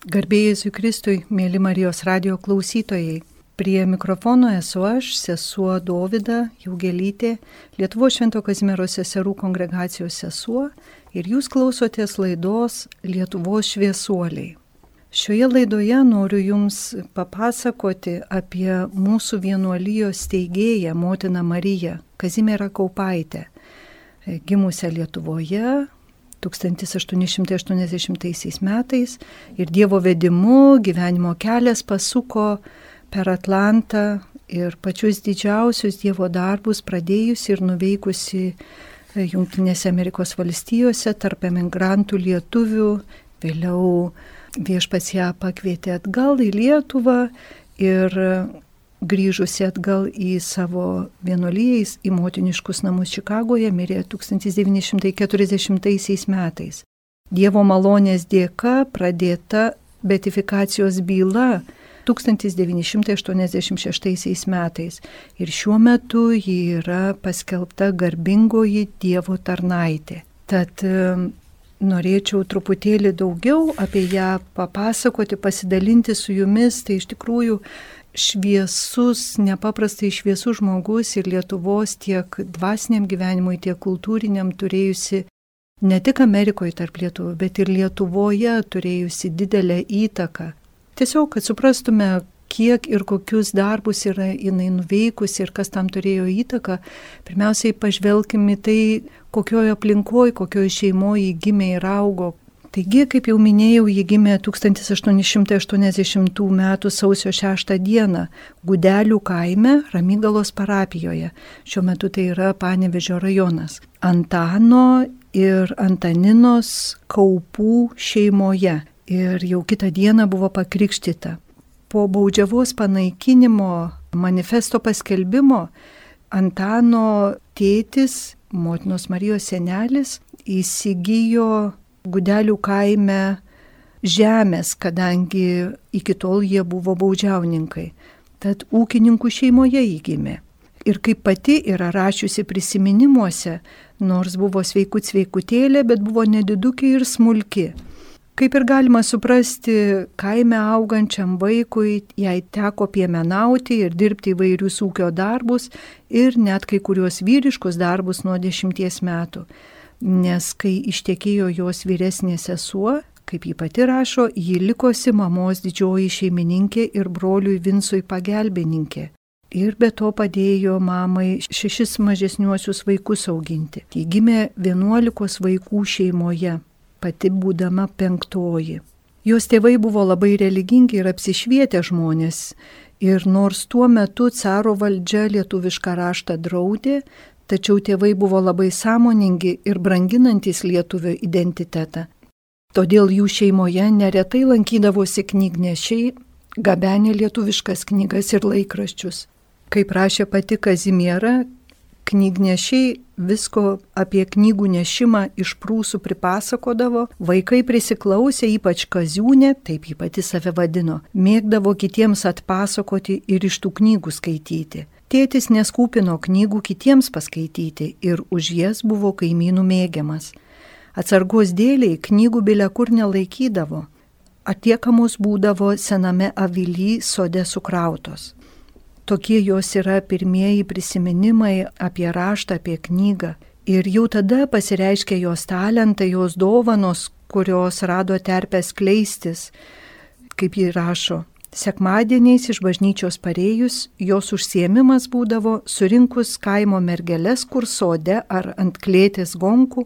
Garbė Jėzui Kristui, mėly Marijos radijo klausytojai. Prie mikrofono esu aš, sesuo Dovida Jaugelytė, Lietuvos Švento Kazimiero seserų kongregacijos sesuo, ir jūs klausotės laidos Lietuvos šviesuoliai. Šioje laidoje noriu jums papasakoti apie mūsų vienuolijos steigėją, motiną Mariją, Kazimierą Kaupaitę, gimusią Lietuvoje 1880 metais ir Dievo vedimu gyvenimo kelias pasuko per Atlantą ir pačius didžiausius Dievo darbus pradėjusi ir nuveikusi Jungtinėse Amerikos valstijose tarp emigrantų lietuvių. Vėliau viešpats ją pakvietė atgal į Lietuvą ir grįžusi atgal į savo vienuoliją, į motiniškus namus Čikagoje, mirė 1940 metais. Dievo malonės dėka pradėta beatifikacijos byla 1986 metais ir šiuo metu ji yra paskelbta garbingoji Dievo tarnaitė. Tad norėčiau truputėlį daugiau apie ją papasakoti, pasidalinti su jumis. Tai iš tikrųjų šviesus, nepaprastai šviesus žmogus ir Lietuvos tiek dvasiniam gyvenimui, tiek kultūriniam turėjusi ne tik Amerikoje tarp lietuvių, bet ir Lietuvoje turėjusi didelę įtaką. Tiesiog, kad suprastume, kiek ir kokius darbus yra jinai nuveikusi ir kas tam turėjo įtaką, pirmiausiai pažvelkime tai, kokioje aplinkoje, kokioje šeimoje ji gimė ir augo. Taigi, kaip jau minėjau, ji gimė 1880 m. sausio 6 d. Gudelių kaime Ramygalos parapijoje. Šiuo metu tai yra Panevėžio rajonas. Antano ir Antaninos Kaupų šeimoje. Ir jau kitą dieną buvo pakrikštyta. Po baudžiavos panaikinimo manifesto paskelbimo Antano tėtis, motinos Marijos senelis, įsigijo Gudelių kaime žemės, kadangi iki tol jie buvo baudžiauninkai. Tad ūkininkų šeimoje jį gimė. Ir kaip pati yra rašiusi prisiminimuose, nors buvo sveikutėlė, bet buvo nedidukė ir smulki. Kaip ir galima suprasti, kaime augančiam vaikui jai teko piemenauti ir dirbti įvairius ūkio darbus ir net kai kuriuos vyriškus darbus nuo 10 metų. Nes kai ištekėjo jos vyresnė sesuo, kaip ji pati rašo, ji likosi mamos didžioji šeimininkė ir broliui Vincui pagelbininkė. Ir be to padėjo mamai 6 mažesniuosius vaikus auginti. Ji gimė 11 vaikų šeimoje, pati būdama 5. Jos tėvai buvo labai religingi ir apsišvietę žmonės. Ir nors tuo metu caro valdžia lietuvišką raštą draudė, tačiau tėvai buvo labai sąmoningi ir branginantis lietuvio identitetą. Todėl jų šeimoje neretai lankydavosi knygnešiai, gabenė lietuviškas knygas ir laikraščius. Kaip rašė pati Kazimiera, knygnešiai visko apie knygų nešimą iš prūsų pripasakodavo, vaikai prisiklausė, ypač Kaziūnė, taip ji pati save vadino, mėgdavo kitiems atpasakoti ir iš tų knygų skaityti. Tėtis neskūpino knygų kitiems paskaityti ir už jas buvo kaimynų mėgiamas. Atsargos dėliai knygų bile kur nelaikydavo. Atliekamos būdavo sename avily sode sukrautos. Tokie jos yra pirmieji prisiminimai apie raštą, apie knygą. Ir jau tada pasireiškė jos talentai, jos dovanos, kurios rado terpę skleistis, kaip ji rašo. Sekmadieniais iš bažnyčios parėjus, jos užsiėmimas būdavo surinkus kaimo mergeles, kur sode ar ant klėtės gonkų,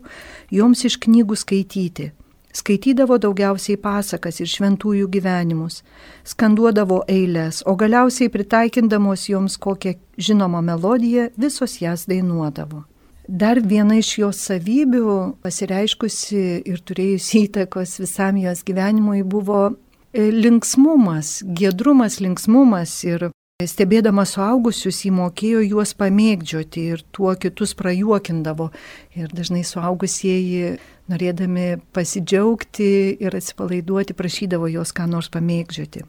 joms iš knygų skaityti. Skaitydavo daugiausiai pasakas ir šventųjų gyvenimus, skanduodavo eiles, o galiausiai pritaikindamos joms kokią žinomą melodiją, visos jas dainuodavo. Dar viena iš jos savybių, pasireiškusi ir turėjusi įtakos visam jos gyvenimui, buvo linksmumas, giedrumas, linksmumas ir stebėdama suaugusius jį mokėjo juos pamėgdžioti ir tuo kitus prajuokindavo. Ir dažnai suaugusieji, norėdami pasidžiaugti ir atsipalaiduoti, prašydavo jos ką nors pamėgdžioti.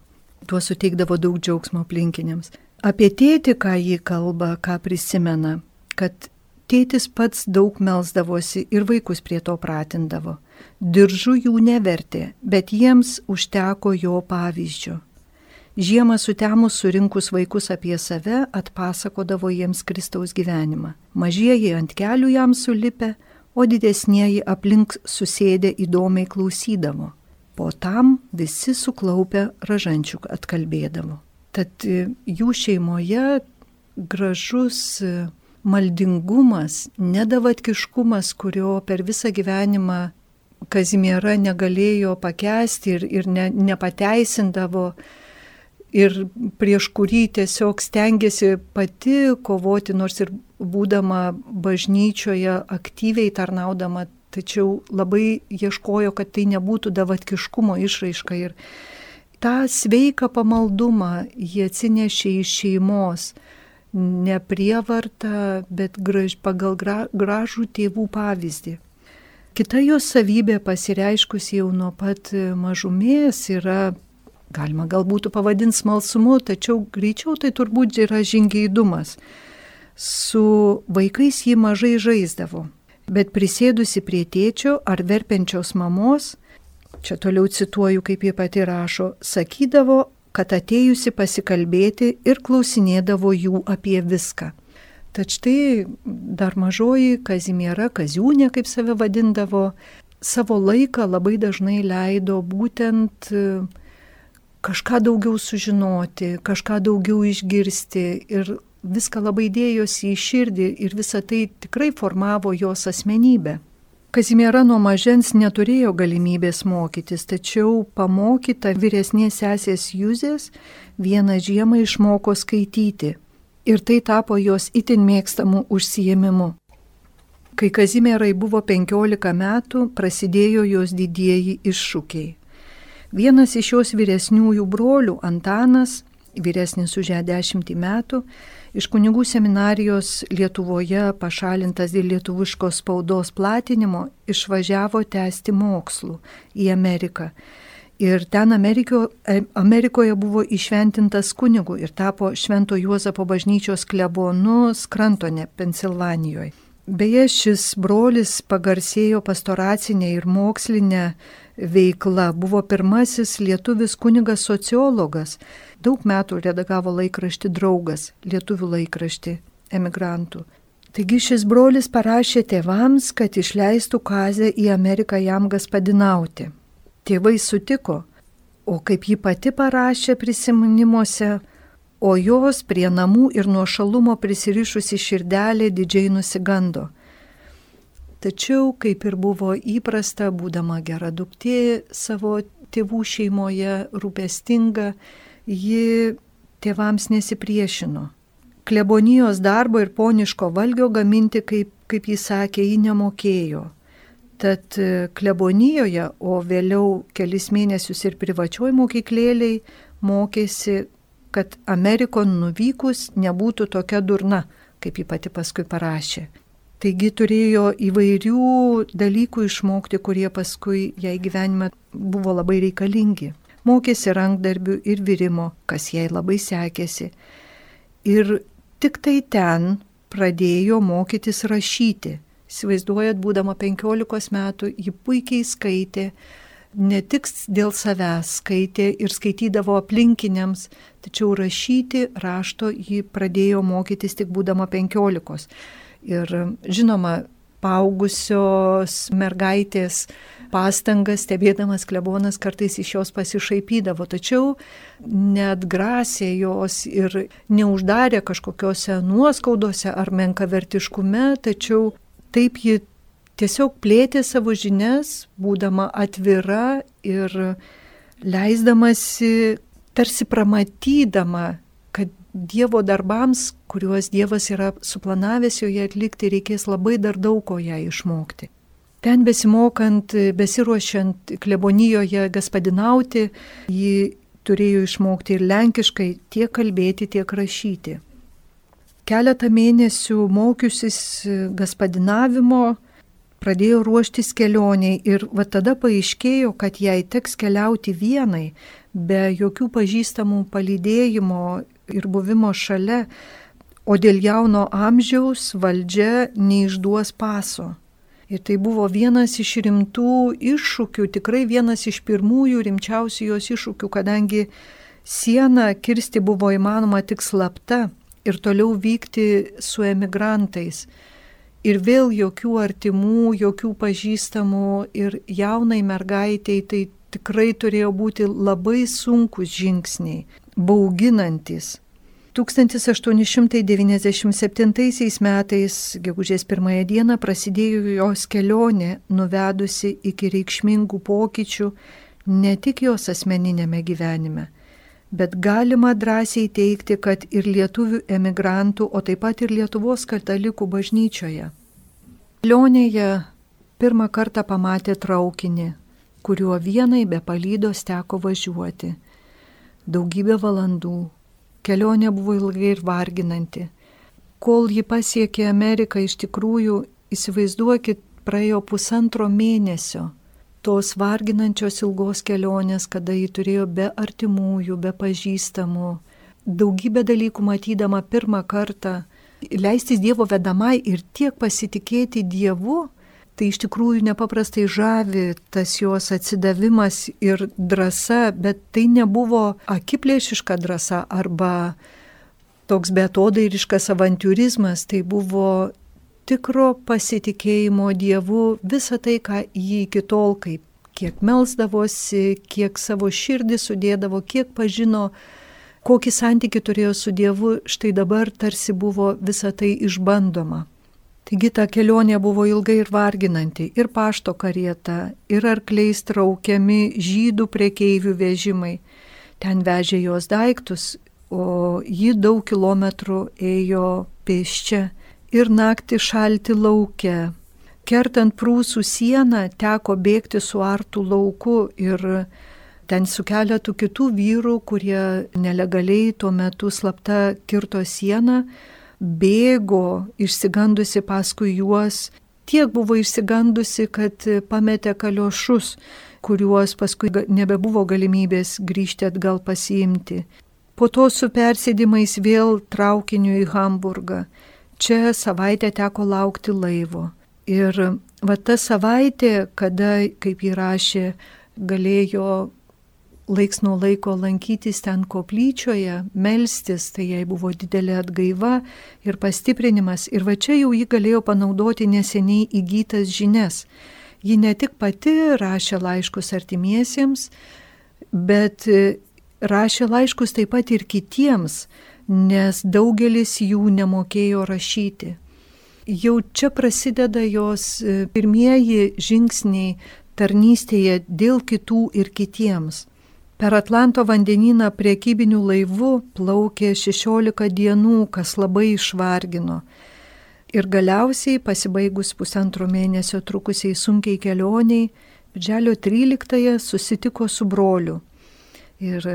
Tuo suteikdavo daug džiaugsmo aplinkiniams. Apie tėtį, ką jį kalba, ką prisimena, kad tėtis pats daug melsdavosi ir vaikus prie to pratindavo. diržu jų nevertė, bet jiems užteko jo pavyzdžio. Žiemą sutemus surinkus vaikus apie save, atpasakodavo jiems Kristaus gyvenimą. Mažieji ant kelių jam sulipę, o didesnieji aplink susėdę įdomiai klausydavo. Po tam visi suklaupę ražančių atkalbėdavo. Tad jų šeimoje gražus maldingumas, nedavatkiškumas, kurio per visą gyvenimą Kazimiera negalėjo pakęsti ir nepateisindavo, ir prieš kurį tiesiog stengiasi pati kovoti, nors ir būdama bažnyčioje aktyviai tarnaudama, tačiau labai ieškojo, kad tai nebūtų davatkiškumo išraiška. Ir tą sveiką pamaldumą jie atsinešė iš šeimos, ne prievartą, bet pagal gražų tėvų pavyzdį. Kita jos savybė pasireiškusi jau nuo pat mažumės yra, galima galbūt pavadinti smalsumu, tačiau greičiau tai turbūt yra žingeidumas. Su vaikais jį mažai žaisdavo, bet prisėdusi prie tėčio ar verpenčios mamos, čia toliau cituoju, kaip jie pati rašo, sakydavo, kad atėjusi pasikalbėti ir klausinėdavo jų apie viską. Tad štai dar mažoji Kazimiera, Kaziūnė, kaip save vadindavo, savo laiką labai dažnai leido būtent kažką daugiau sužinoti, kažką daugiau išgirsti ir viską labai dėjosi į širdį ir visą tai tikrai formavo jos asmenybę. Kazimiera nuo mažens neturėjo galimybės mokytis, tačiau pamokyta vyresnės sesės Juzės vieną žiemą išmoko skaityti ir tai tapo jos itin mėgstamų užsiėmimu. Kai Kazimierai buvo 15 metų, prasidėjo jos didieji iššūkiai. Vienas iš jos vyresniųjų brolių, Antanas, vyresnis už ją 10 metų, iš kunigų seminarijos Lietuvoje pašalintas dėl lietuviškos spaudos platinimo, išvažiavo tęsti mokslų į Ameriką. Ir ten Amerikoje buvo įšventintas kunigu ir tapo Švento Juozapo bažnyčios klebonu Skrantone, Pensilvanijoje. Beje, šis brolis pagarsėjo pastoracinė ir mokslinė veikla, buvo pirmasis lietuvis kunigas sociologas, daug metų redagavo laikraštį Draugas, lietuvių laikraštį emigrantų. Taigi šis brolis parašė tėvams, kad išleistų Kazę į Ameriką jam gaspadinauti. Tėvai sutiko, o kaip ji pati parašė prisiminimuose, o jos prie namų ir nuošalumo prisirišusi širdelė didžiai nusigando. Tačiau, kaip ir buvo įprasta, būdama gera duktė savo tėvų šeimoje, rūpestinga, ji tėvams nesipriešino. Klebonijos darbo ir poniško valgio gaminti, kaip jis sakė, ji nemokėjo. Tad klebonijoje, o vėliau kelis mėnesius ir privačioj mokyklėliai mokėsi, kad Amerikon nuvykus nebūtų tokia durna, kaip ji pati paskui parašė. Taigi turėjo įvairių dalykų išmokti, kurie paskui jai gyvenime buvo labai reikalingi. Mokėsi rankdarbių ir virimo, kas jai labai sekėsi. Ir tik tai ten pradėjo mokytis rašyti. Įsivaizduojat, būdama 15 metų, ji puikiai skaitė, ne tik dėl savęs skaitė ir skaitydavo aplinkiniams, tačiau rašyti rašto ji pradėjo mokytis tik būdama 15. Ir žinoma, paaugusios mergaitės pastangas stebėdamas klebonas kartais iš jos pasišaipydavo, tačiau neatgrasė jos ir neuždarė kažkokiose nuoskaudose ar menkavertiškume, tačiau taip ji tiesiog plėtė savo žinias, būdama atvira ir leisdamasi, tarsi pramatydama, kad Dievo darbams, kuriuos Dievas yra suplanavęs joje atlikti, reikės labai dar daug ko ją išmokti. Ten besimokant, besiruošiant klebonijoje gaspadinauti, ji turėjo išmokti ir lenkiškai tiek kalbėti, tiek rašyti. Keletą mėnesių mokiusis gaspadinavimo, pradėjo ruoštis kelioniai ir va tada paaiškėjo, kad jai teks keliauti vienai, be jokių pažįstamų palydėjimo ir buvimo šalia, o dėl jauno amžiaus valdžia neišduos paso. Ir tai buvo vienas iš rimtų iššūkių, tikrai vienas iš pirmųjų rimčiausių jos iššūkių, kadangi sieną kirsti buvo įmanoma tik slapta ir toliau vykti su emigrantais. Ir vėl jokių artimų, jokių pažįstamų ir jaunai mergaitei tai tikrai turėjo būti labai sunkus žingsniai, bauginantis. 1897 metais, gegužės 1 dieną, prasidėjo jos kelionė, nuvedusi iki reikšmingų pokyčių ne tik jos asmeninėme gyvenime, bet galima drąsiai teikti, kad ir lietuvių emigrantų, o taip pat ir Lietuvos katalikų bažnyčioje. Kelionėje pirmą kartą pamatė traukinį, kuriuo vienai be palydos teko važiuoti. Daugybę valandų. Kelionė buvo ilgai ir varginanti. Kol ji pasiekė Ameriką, iš tikrųjų, įsivaizduokit, praėjo 1,5 mėnesio tos varginančios ilgos kelionės, kada ji turėjo be artimųjų, be pažįstamų, daugybę dalykų matydama pirmą kartą, leistis Dievo vedamai ir tiek pasitikėti Dievu. Tai iš tikrųjų nepaprastai žavi tas jos atsidavimas ir drąsa, bet tai nebuvo akiplėšiška drąsa arba toks beatodairiškas avantiūrizmas, tai buvo tikro pasitikėjimo Dievu visą tai, ką jį iki tol, kiek melsdavosi, kiek savo širdį sudėdavo, kiek pažino, kokį santykį turėjo su Dievu, štai dabar tarsi buvo visą tai išbandoma. Taigi ta kelionė buvo ilgai ir varginanti, ir pašto karieta, ir arkliais traukiami žydų prekeivių vežimai. Ten vežė jos daiktus, o ji daug kilometrų ėjo pėsčia ir naktį šalti lauke. Kertant Prūsų sieną teko bėgti suartų lauku ir ten su keletu kitų vyrų, kurie nelegaliai tuo metu slapta kirto sieną, bėgo išsigandusi paskui juos, tiek buvo išsigandusi, kad pametė kaliošus, kuriuos paskui nebebuvo galimybės grįžti atgal pasiimti. Po to su persėdimais vėl traukiniu į Hamburgą. Čia savaitę teko laukti laivo. Ir va ta savaitė, kada, kaip ji rašė, galėjo laiks nuo laiko lankytis ten koplyčioje, melstis, tai jai buvo didelė atgaiva ir pastiprinimas. Ir va čia jau ji galėjo panaudoti neseniai įgytas žinias. Ji ne tik pati rašė laiškus artimiesiems, bet rašė laiškus taip pat ir kitiems, nes daugelis jų nemokėjo rašyti. Jau čia prasideda jos pirmieji žingsniai tarnystėje dėl kitų ir kitiems. Per Atlanto vandenyną priekybiniu laivu plaukė 16 dienų, kas labai išvargino. Ir galiausiai, pasibaigus 1,5 mėnesio trukusiai sunkiai kelioniai, birželio 13-ąją susitiko su broliu. Ir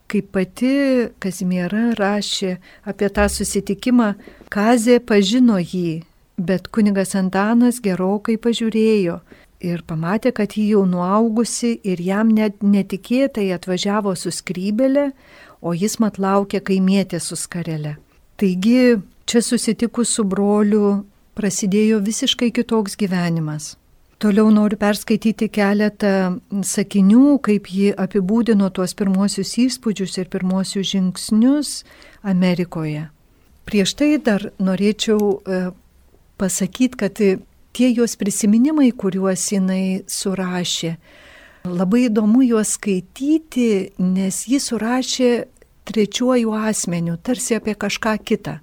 kaip pati Kazimiera rašė apie tą susitikimą, Kazė pažino jį, bet kunigas Antanas gerokai pažiūrėjo. Ir pamatė, kad ji jau nuaugusi ir jam net netikėtai atvažiavo su skrybelė, o jis mat laukė kaimietė su skarele. Taigi, čia susitikus su broliu prasidėjo visiškai kitoks gyvenimas. Toliau noriu perskaityti keletą sakinių, kaip ji apibūdino tuos pirmosius įspūdžius ir pirmosius žingsnius Amerikoje. Prieš tai dar norėčiau pasakyti, kad tie jos prisiminimai, kuriuos jinai surašė, labai įdomu juos skaityti, nes ji surašė trečiuoju asmeniu, tarsi apie kažką kitą.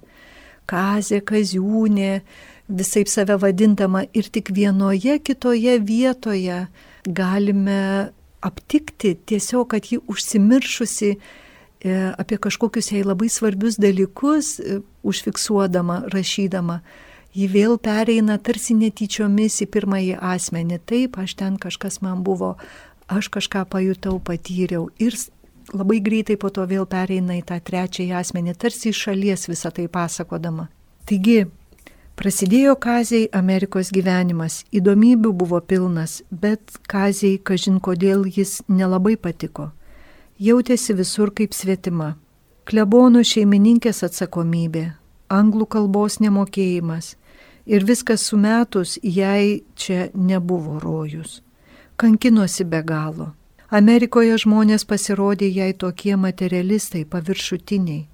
Kazė, Kaziūnė, visaip save vadindama, ir tik vienoje kitoje vietoje galime aptikti tiesiog, kad ji užsimiršusi apie kažkokius jai labai svarbius dalykus, užfiksuodama, rašydama. Ji vėl pereina tarsi netyčiomis į pirmąjį asmenį. Taip, aš ten kažkas man buvo, aš kažką pajutau, patyriau. Ir labai greitai po to vėl pereina į tą trečiąjį asmenį, tarsi iš šalies visą tai pasakodama. Taigi, prasidėjo Kazei Amerikos gyvenimas. Įdomybių buvo pilnas, bet Kazei, kažin kodėl, jis nelabai patiko. Jautėsi visur kaip svetima. Klebono šeimininkės atsakomybė, anglų kalbos nemokėjimas. Ir viskas sumetus, jai čia nebuvo rojus. Kankinosi be galo. Amerikoje žmonės pasirodė jai tokie materialistai, paviršutiniai.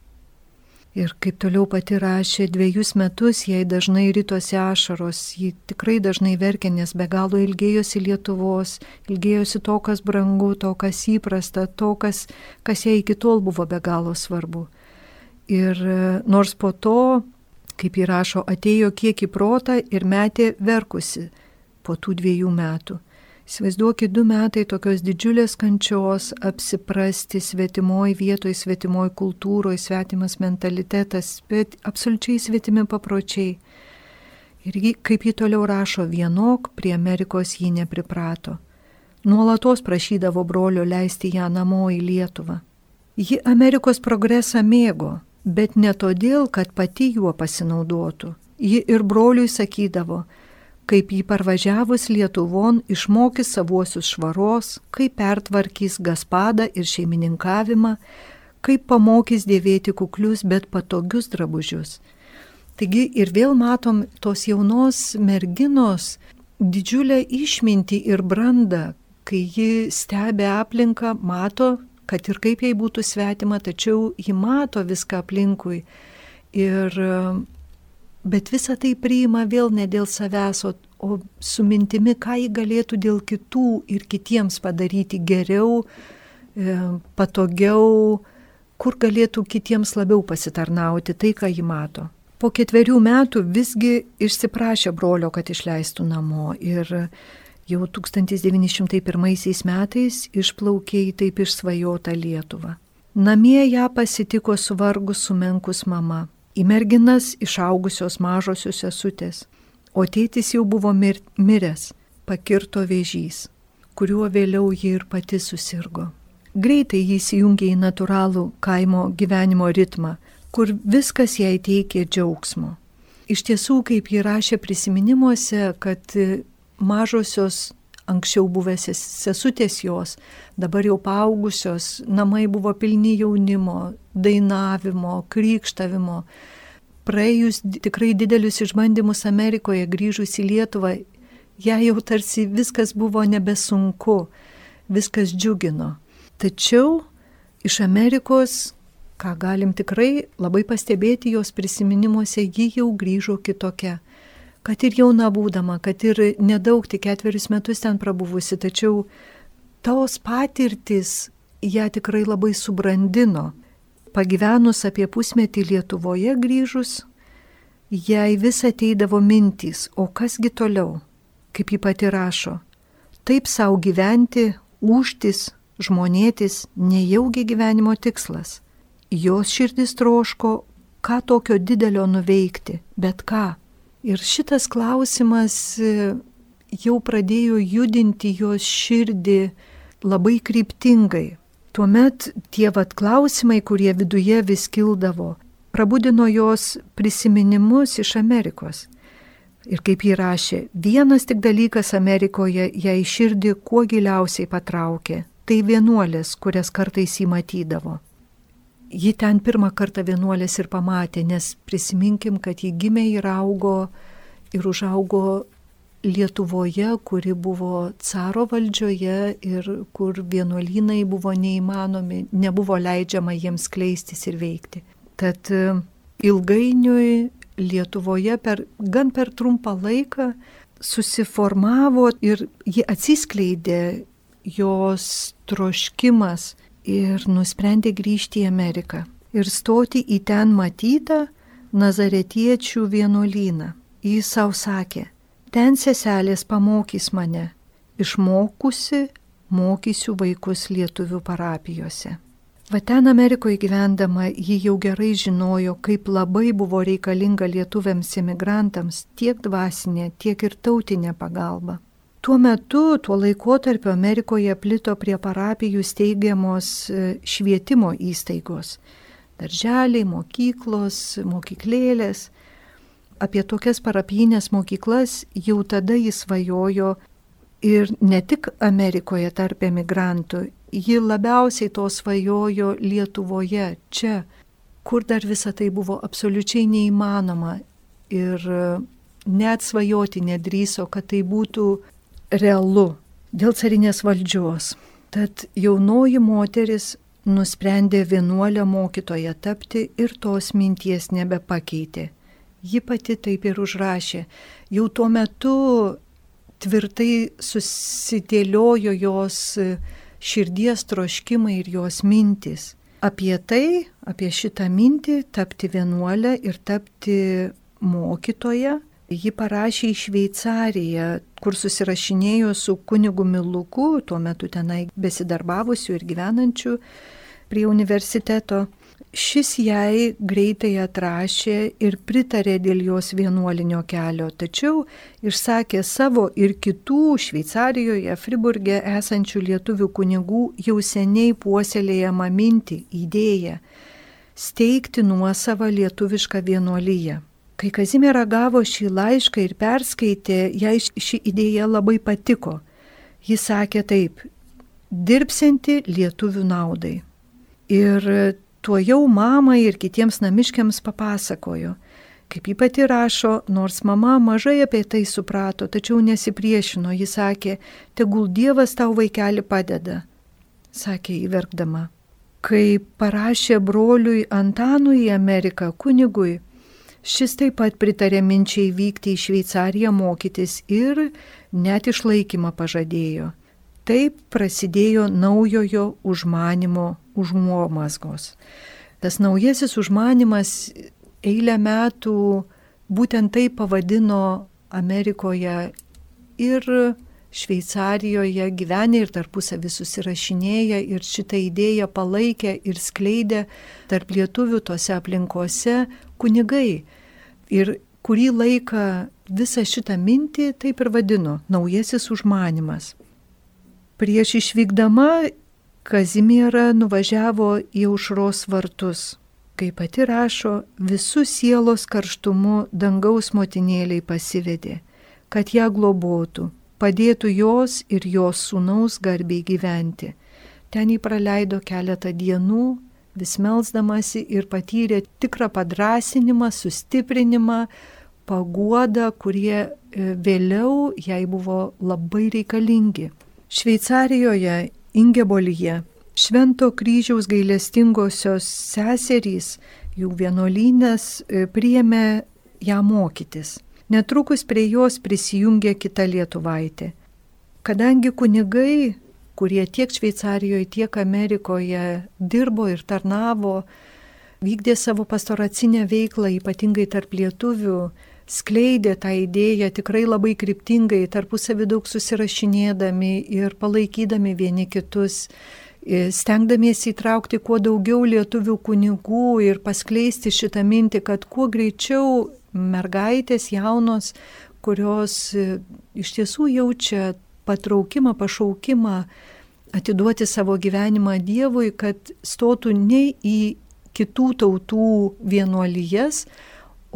Ir kaip toliau pati rašė, 2 metus jai dažnai ritosi ašaros, ji tikrai dažnai verkė, nes be galo ilgėjosi Lietuvos, ilgėjosi to, kas brangu, to, kas įprasta, to, kas jai iki tol buvo be galo svarbu. Ir nors po to, kaip ji rašo, atėjo kiek į protą ir metė verkusi po tų 2 metų. Įsivaizduokit 2 metai tokios didžiulės kančios, apsiprasti svetimoj vietoj, svetimoj kultūroje, svetimas mentalitetas, bet absoliučiai svetimi papročiai. Ir kaip ji toliau rašo, vienok prie Amerikos ji nepriprato. Nuolatos prašydavo brolio leisti ją namo į Lietuvą. Ji Amerikos progresą mėgo, bet ne todėl, kad pati juo pasinaudotų. Ji ir broliui sakydavo, kaip jį parvažiavus Lietuvon išmokys savuosius švaros, kaip pertvarkys gaspadą ir šeimininkavimą, kaip pamokys dėvėti kuklius, bet patogius drabužius. Taigi ir vėl matom tos jaunos merginos didžiulę išmintį ir brandą, kai ji stebi aplinką, mato, kad ir kaip jai būtų svetima, tačiau ji mato viską aplinkui. Bet visą tai priima vėl ne dėl savęs, o su mintimi, ką ji galėtų dėl kitų ir kitiems padaryti geriau, patogiau, kur galėtų kitiems labiau pasitarnauti tai, ką ji mato. Po 4 metų visgi išsiprašė brolio, kad išleistų namo ir jau 1901 metais išplaukė į taip išsvajotą Lietuvą. Namie ją pasitiko suvargus sumenkus mama. Į merginas išaugusios mažosios sesutės, o tėtis jau buvo miręs, pakirto vėžys, kuriuo vėliau ji ir pati susirgo. Greitai jis įjungė į natūralų kaimo gyvenimo ritmą, kur viskas jai teikė džiaugsmo. Iš tiesų, kaip ji rašė prisiminimuose, kad mažosios anksčiau buvęs sesutės jos, dabar jau paaugusios, namai buvo pilni jaunimo, dainavimo, krykštavimo. Praėjus tikrai didelius išbandymus Amerikoje, grįžus į Lietuvą, jai jau tarsi viskas buvo nebesunku, viskas džiugino. Tačiau iš Amerikos, ką galim tikrai labai pastebėti jos prisiminimuose, ji jau grįžo kitokia. Kad ir jauna būdama, kad ir nedaug, tik 4 metus ten prabuvusi, tačiau tos patirtis ją tikrai labai subrandino. Pagyvenus apie pusmetį Lietuvoje grįžus, jai vis ateidavo mintys, o kasgi toliau, kaip ji pati rašo. Taip savo gyventi, ūžtis, žmonėtis nejaugi gyvenimo tikslas. Jos širdis troško, ką tokio didelio nuveikti, bet ką. Ir šitas klausimas jau pradėjo judinti jos širdį labai kryptingai. Tuomet tie klausimai, kurie viduje vis kildavo, prabudino jos prisiminimus iš Amerikos. Ir kaip ji rašė, vienas tik dalykas Amerikoje jai širdį kuo giliausiai patraukė, tai vienuolės, kurias kartais jį matydavo. Ji ten pirmą kartą vienuolės ir pamatė, nes prisiminkim, kad ji gimė ir augo ir užaugo Lietuvoje, kuri buvo caro valdžioje ir kur vienuolynai buvo neįmanomi, nebuvo leidžiama jiems skleistis ir veikti. Tad ilgainiui Lietuvoje gan per trumpą laiką susiformavo ir ji atsiskleidė jos troškimas ir nusprendė grįžti į Ameriką ir stoti į ten matytą nazaretiečių vienuolyną. Jis savo sakė, ten seselės pamokys mane, išmokusi mokysiu vaikus lietuvių parapijose. Va ten Amerikoje gyvendama ji jau gerai žinojo, kaip labai buvo reikalinga lietuviams imigrantams tiek dvasinė, tiek ir tautinė pagalba. Tuo metu, tuo laikotarpiu Amerikoje plito prie parapijų steigiamos švietimo įstaigos. Darželiai, mokyklos, mokyklėlės. Apie tokias parapijinės mokyklas jau tada jis svajojo ir ne tik Amerikoje tarp emigrantų, ji labiausiai to svajojo Lietuvoje, čia, kur dar visa tai buvo absoliučiai neįmanoma. Ir net svajoti nedrįso, kad tai būtų realu dėl carinės valdžios. Tad jaunoji moteris nusprendė vienuolę mokytoją tapti ir tos minties nebepakeitė. Ji pati taip ir užrašė. Jau tuo metu tvirtai susidėliojo jos širdies troškimai ir jos mintys. Apie tai, apie šitą mintį tapti vienuolę ir tapti mokytoją, ji parašė į Šveicariją, kur susirašinėjo su kunigu Miluku, tuo metu tenai besidarbavusiu ir gyvenančiu prie universiteto. Šis jai greitai atrašė ir pritarė dėl jos vienuolinio kelio, tačiau išsakė savo ir kitų Šveicarijoje, Friburge esančių lietuvių kunigų jau seniai puoselėjamą mintį, idėją steigti nuosavą lietuvišką vienuoliją. Kai Kazimiera gavo šį laišką ir perskaitė, jai ši idėja labai patiko. Ji sakė taip: dirbsianti lietuvių naudai. Ir tuo jau mamai ir kitiems namiškiams papasakojo. Kaip ji pati rašo, nors mama mažai apie tai suprato, tačiau nesipriešino, ji sakė: tegul Dievas tau, vaikeli, padeda, sakė įverkdama. Kai parašė broliui Antanui į Ameriką, kunigui, šis taip pat pritarė minčiai vykti į Šveicariją mokytis ir net išlaikymą pažadėjo. Taip prasidėjo naujojo užmanymo užuomazgos. Tas naujasis užmanymas eilę metų būtent taip pavadino Amerikoje ir Šveicarijoje gyvenę ir tarpusavį susirašinėję ir šitą idėją palaikė ir skleidė tarp lietuvių tose aplinkose kunigai. Ir kurį laiką visą šitą mintį taip ir vadino naujasis užmanymas. Prieš išvykdama Kazimiera nuvažiavo į Aušros vartus. Kaip pati rašo, visų sielos karštumu dangaus motinėliai pasivedė, kad ją globotų, padėtų jos ir jos sūnaus garbiai gyventi. Ten jį praleido keletą dienų, vis melsdamasi ir patyrė tikrą padrasinimą, sustiprinimą, paguodą, kurie vėliau jai buvo labai reikalingi. Šveicarijoje, Ingebolyje, Švento kryžiaus gailestingosios seserys, jų vienuolynas, priėmė ją mokytis. Netrukus prie jos prisijungė kita lietuvaitė. Kadangi kunigai, kurie tiek Šveicarijoje, tiek Amerikoje dirbo ir tarnavo, vykdė savo pastoracinę veiklą, ypatingai tarp lietuvių, skleidė tą idėją tikrai labai kryptingai, tarpusavį daug susirašinėdami ir palaikydami vieni kitus, stengdamiesi įtraukti kuo daugiau lietuvių kunigų ir paskleisti šitą mintį, kad kuo greičiau mergaitės jaunos, kurios iš tiesų jaučia patraukimą, pašaukimą atiduoti savo gyvenimą Dievui, kad stotų ne į kitų tautų vienuolijas,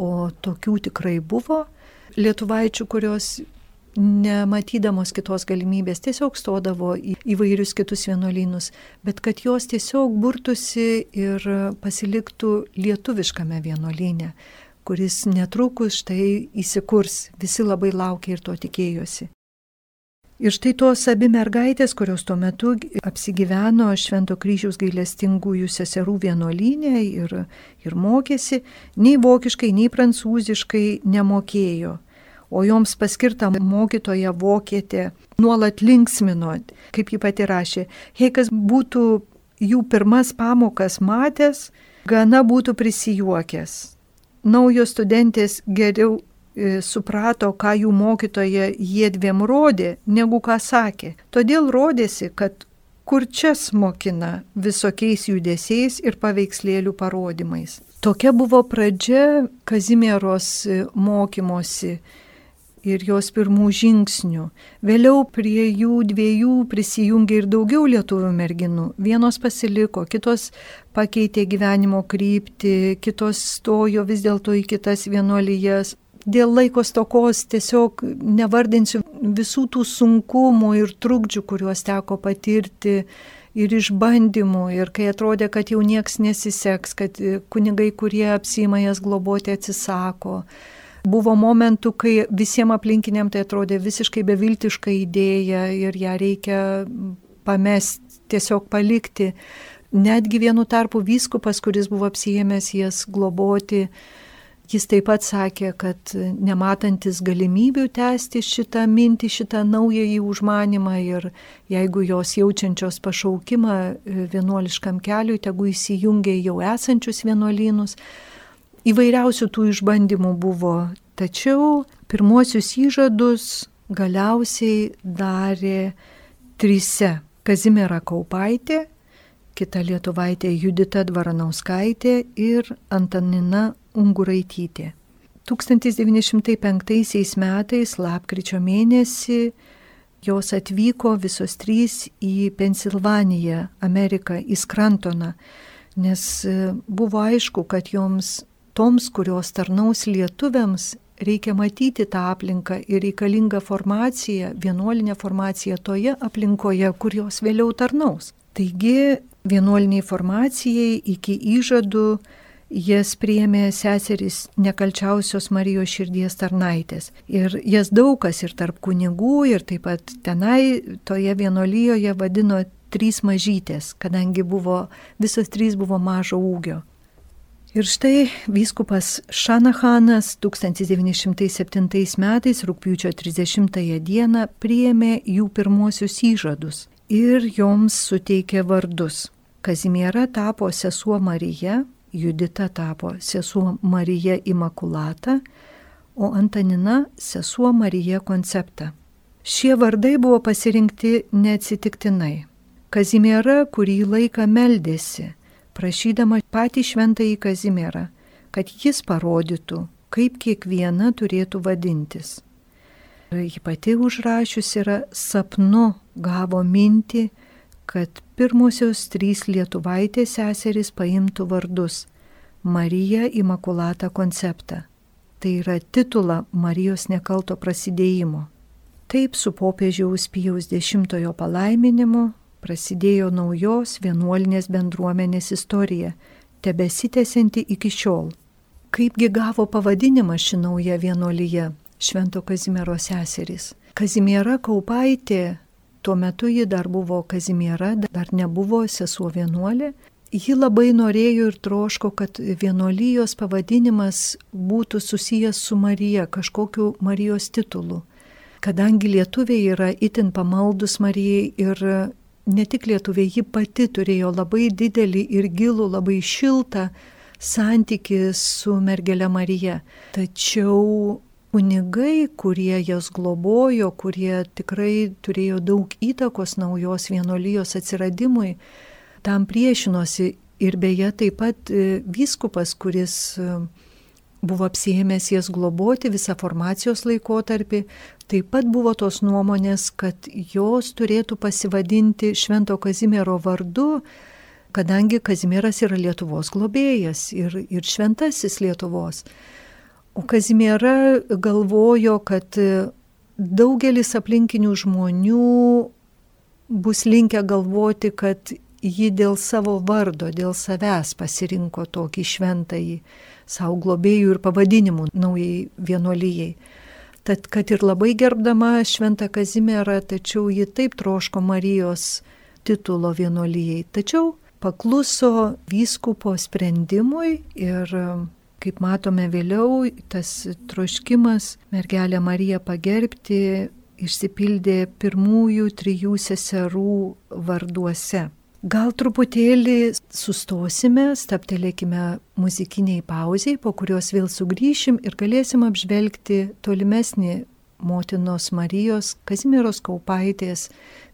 o tokių tikrai buvo lietuvaičių, kurios nematydamos kitos galimybės tiesiog stodavo į įvairius kitus vienuolynus, bet kad jos tiesiog burtųsi ir pasiliktų lietuviškame vienuolyne, kuris netrukus štai įsikurs. Visi labai laukė ir to tikėjosi. Ir štai tos abi mergaitės, kurios tuo metu apsigyveno Švento kryžiaus gailestingųjų seserų vienuolyne ir mokėsi, nei vokiškai, nei prancūziškai nemokėjo. O joms paskirta mokytoja vokietė nuolat linksmino, kaip ji pati rašė. Jei kas būtų jų pirmas pamokas matęs, gana būtų prisijuokęs. Naujos studentės geriau suprato, ką jų mokytoja jiedviem rodė, negu ką sakė. Todėl rodėsi, kad kurčias mokina visokiais judesiais ir paveikslėlių parodymais. Tokia buvo pradžia Kazimieros mokymosi ir jos pirmų žingsnių. Vėliau prie jų dviejų prisijungė ir daugiau lietuvių merginų. Vienos pasiliko, kitos pakeitė gyvenimo kryptį, kitos stojo vis dėlto į kitas vienuolijas. Dėl laiko stokos tiesiog nevardinsiu visų tų sunkumų ir trukdžių, kuriuos teko patirti ir išbandymų. Ir kai atrodė, kad jau nieks nesiseks, kad kunigai, kurie apsiima jas globoti, atsisako, Buvo momentų, kai visiems aplinkiniam tai atrodė visiškai beviltiška idėja ir ją reikia pamesti, tiesiog palikti. Netgi vienu tarpu vyskupas, kuris buvo apsiėmęs jas globoti, jis taip pat sakė, kad nematantis galimybių tęsti šitą mintį, šitą naująjį užmanimą ir jeigu jos jaučiančios pašaukimą vienuoliškam keliui, tegu įsijungia jau esančius vienuolynus. Įvairiausių tų išbandymų buvo, tačiau pirmuosius įžadus galiausiai darė 3. Kazimiera Kaupaitė, kita lietuvaitė Judita Dvaranauskaitė ir Antanina Unguraitytė. 1905 metais lapkričio mėnesį jos atvyko visos 3 į Pensilvaniją, Ameriką, į Skrantoną, nes buvo aišku, kad toms, kurios tarnaus lietuviams, reikia matyti tą aplinką ir reikalingą formaciją, vienuolinę formaciją toje aplinkoje, kur jos vėliau tarnaus. Taigi, vienuoliniai formacijai iki įžadų jas priėmė seserys Nekalčiausios Marijos širdies tarnaitės. Ir jas daug kas ir tarp kunigų, ir taip pat tenai toje vienuolijoje vadino 3 mažytės, kadangi visos 3 buvo mažo ūgio. Ir štai vyskupas Šanahanas 1907 metais rugpjūčio 30 dieną priėmė jų pirmuosius įžadus ir joms suteikė vardus. Kazimiera tapo sesuo Marija, Judita tapo sesuo Marija Imakulata, o Antanina sesuo Marija Koncepta. Šie vardai buvo pasirinkti neatsitiktinai. Kazimiera kurį laiką meldėsi, prašydama patį šventąjį Kazimierą, kad jis parodytų, kaip kiekviena turėtų vadintis. Ji pati užrašius yra sapnu gavo mintį, kad pirmosios 3 lietuvaitės seserys paimtų vardus Marija Imakulata Koncepta. Tai yra titulą Marijos nekalto prasidėjimo. Taip su popiežiaus Pijaus X palaiminimu prasidėjo naujos vienuolinės bendruomenės istorija, tebesitęsianti iki šiol. Kaipgi gavo pavadinimą ši nauja vienuolija, Švento Kazimiero seserys? Kazimiera Kaupaitė, tuo metu ji dar buvo Kazimiera, dar nebuvo sesuo vienuolė. Ji labai norėjo ir troško, kad vienuolijos pavadinimas būtų susijęs su Marija, kažkokiu Marijos titulu. Kadangi lietuviai yra itin pamaldus Marijai ir ne tik lietuviai, ji pati turėjo labai didelį ir gilų, labai šiltą santykį su mergele Marija. Tačiau kunigai, kurie jas globojo, kurie tikrai turėjo daug įtakos naujos vienuolijos atsiradimui, tam priešinosi ir beje taip pat vyskupas, kuris buvo apsiėmęs jas globoti visą formacijos laikotarpį, taip pat buvo tos nuomonės, kad jos turėtų pasivadinti Švento Kazimiero vardu, kadangi Kazimieras yra Lietuvos globėjas ir šventasis Lietuvos. O Kazimiera galvojo, kad daugelis aplinkinių žmonių bus linkę galvoti, kad ji dėl savo vardo, dėl savęs pasirinko tokį šventąjį savo globėjų ir pavadinimų naujai vienuolijai. Tad, kad ir labai gerbdama Šventą Kazimierą, tačiau ji taip troško Marijos titulo vienuolijai. Tačiau pakluso vyskupo sprendimui ir, kaip matome vėliau, tas troškimas mergelę Mariją pagerbti išsipildė pirmųjų 3 seserų varduose. Gal truputėlį sustosime, stabtelėkime muzikiniai pauziai, po kurios vėl sugrįšim ir galėsim apžvelgti tolimesnį motinos Marijos Kazimieros Kaupaitės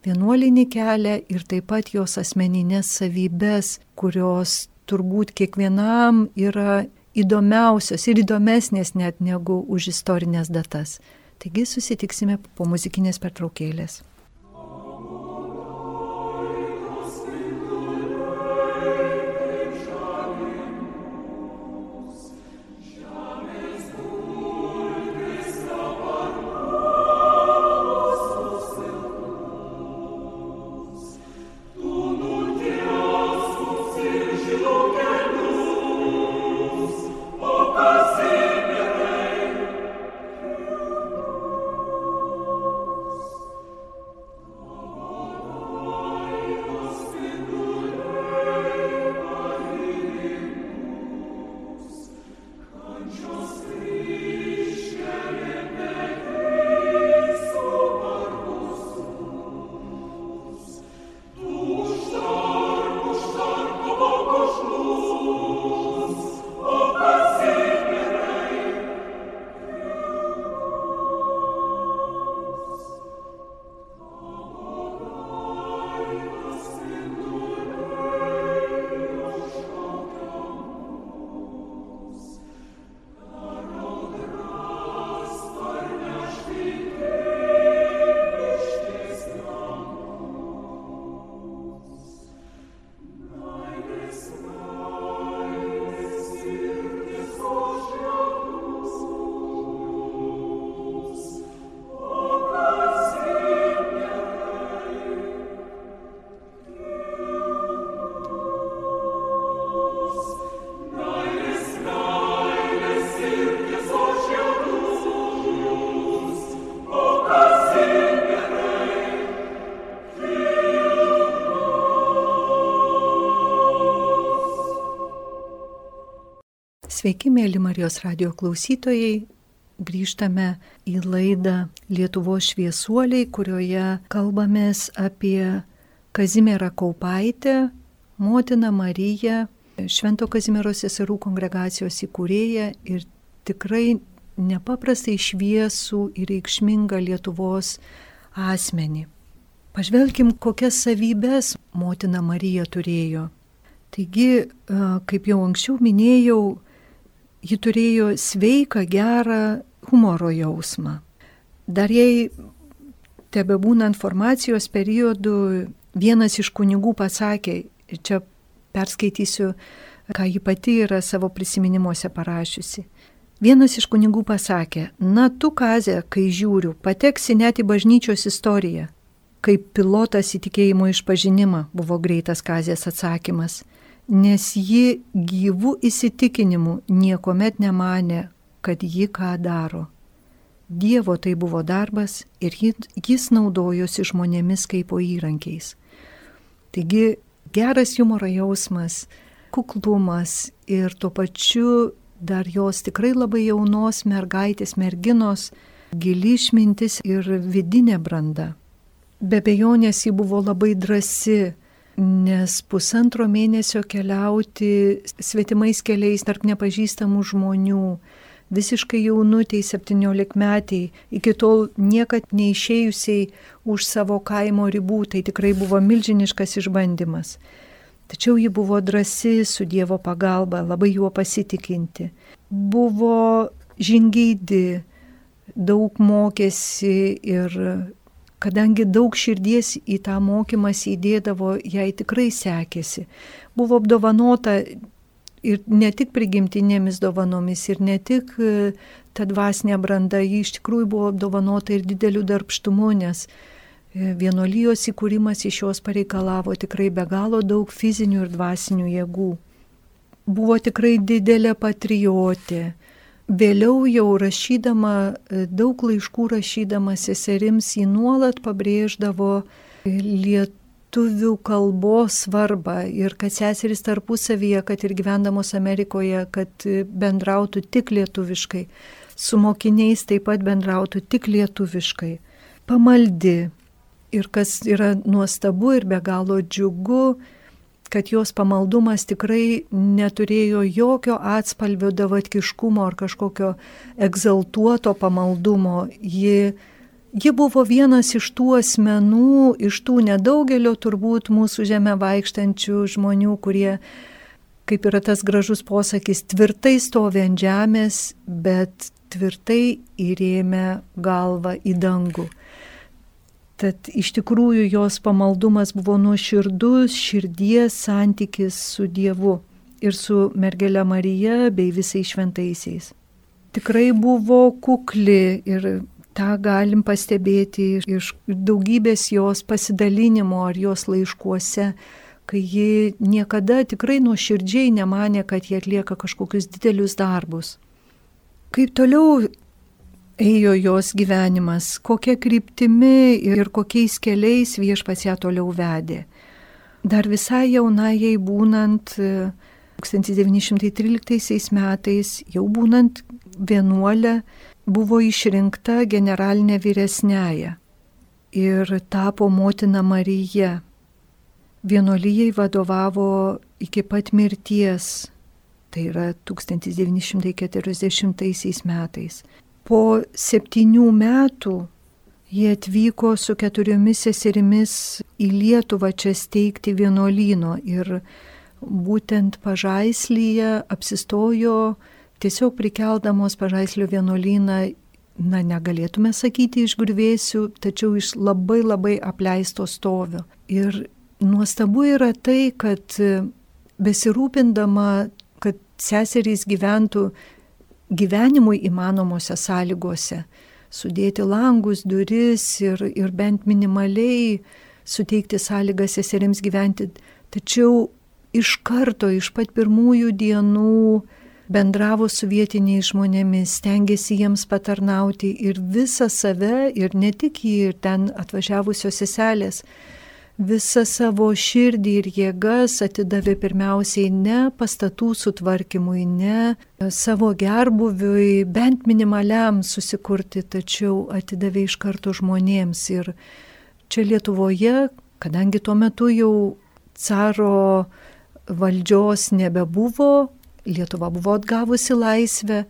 vienuolinį kelią ir taip pat jos asmeninės savybės, kurios turbūt kiekvienam yra įdomiausios ir įdomesnės net negu už istorinės datas. Taigi susitiksime po muzikinės pertraukėlės. Kazimierze, Sveiki, mėly Marijos radijo klausytojai. Grįžtame į laidą Lietuvos šviesuoliai, kurioje kalbamės apie Kazimierą Kaupaitę, motiną Mariją, Švento Kazimiero seserų kongregacijos įkūrėją ir tikrai nepaprastai šviesų ir reikšmingą Lietuvos asmenį. Pažvelkim, kokias savybes motina Marija turėjo. Taigi, kaip jau anksčiau minėjau, ji turėjo sveiką, gerą humoro jausmą. Dar jai tebebūnant formacijos periodu, vienas iš kunigų pasakė, ir čia perskaitysiu, ką ji pati yra savo prisiminimuose parašiusi. Vienas iš kunigų pasakė, na tu, Kazė, kai žiūriu, pateksi net į bažnyčios istoriją. Kaip pilotas į tikėjimo išpažinimą, buvo greitas Kazės atsakymas. Nes ji gyvų įsitikinimų niekuomet nemanė, kad ji ką daro. Dievo tai buvo darbas ir jis naudojosi žmonėmis kaip po įrankiais. Taigi geras humoro jausmas, kuklumas ir tuo pačiu dar jos tikrai labai jaunos mergaitės, merginos, gili išmintis ir vidinė branda. Be abejonės ji buvo labai drąsi, nes 1,5 mėnesio keliauti svetimais keliais tarp nepažįstamų žmonių, visiškai jaunutei 17-metiai, iki tol niekad neišėjusiai už savo kaimo ribų, tai tikrai buvo milžiniškas išbandymas. Tačiau ji buvo drąsi su Dievo pagalba, labai juo pasitikinti. Buvo žingeidi, daug mokėsi ir kadangi daug širdies į tą mokymąsi įdėdavo, jai tikrai sekėsi. Buvo apdovanota ir ne tik prigimtinėmis dovanomis, ir ne tik ta dvasinė branda, ji iš tikrųjų buvo apdovanota ir dideliu darbštumu, nes vienuolijos įkūrimas iš jos pareikalavo tikrai be galo daug fizinių ir dvasinių jėgų. Buvo tikrai didelė patriotė. Vėliau jau rašydama, daug laiškų rašydama seserims, ji nuolat pabrėždavo lietuvių kalbos svarbą ir kad seserys tarpusavyje, kad ir gyvendamos Amerikoje, kad bendrautų tik lietuviškai, su mokiniais taip pat bendrautų tik lietuviškai. Pamaldi ir kas yra nuostabu ir be galo džiugu, kad jos pamaldumas tikrai neturėjo jokio atspalvio davatkiškumo ar kažkokio egzaltuoto pamaldumo. Ji buvo vienas iš tų asmenų, iš tų nedaugelio turbūt mūsų žemę vaikštančių žmonių, kurie, kaip yra tas gražus posakis, tvirtai stovi ant žemės, bet tvirtai įrėmė galvą į dangų. Tad iš tikrųjų jos pamaldumas buvo nuoširdus širdies santykis su Dievu ir su mergele Marija bei visais šventaisiais. Tikrai buvo kukli ir tą galim pastebėti iš daugybės jos pasidalinimo ar jos laiškuose, kai ji niekada tikrai nuoširdžiai nemanė, kad jie atlieka kažkokius didelius darbus. Kaip toliau ėjo jos gyvenimas, kokia kryptimi ir kokiais keliais Viešpats ją toliau vedė. Dar visai jaunajai būnant 1913 metais, jau būnant vienuolė, buvo išrinkta generalinė vyresnėja ir tapo motina Marija. Vienuolijai vadovavo iki pat mirties, tai yra 1940 metais. Po 7 metų jie atvyko su 4 seserimis į Lietuvą čia steigti vienuolyno ir būtent Pažaislyje apsistojo, tiesiog prikeldamos Pažaislio vienuolyną, negalėtume sakyti iš griuvėsių, tačiau iš labai labai apleisto stovio. Ir nuostabu yra tai, kad besirūpindama, kad seserys gyventų gyvenimui įmanomose sąlygose, sudėti langus, duris ir bent minimaliai suteikti sąlygas seserims gyventi. Tačiau iš karto, iš pat pirmųjų dienų bendravo su vietiniais žmonėmis, stengiasi jiems patarnauti ir visą save, ir ne tik jį, ir ten atvažiavusios seselės, visą savo širdį ir jėgas atidavė pirmiausiai ne pastatų sutvarkymui, ne savo gerbuviui, bent minimaliam susikurti, tačiau atidavė iš karto žmonėms. Ir čia Lietuvoje, kadangi tuo metu jau caro valdžios nebebuvo, Lietuva buvo atgavusi laisvę,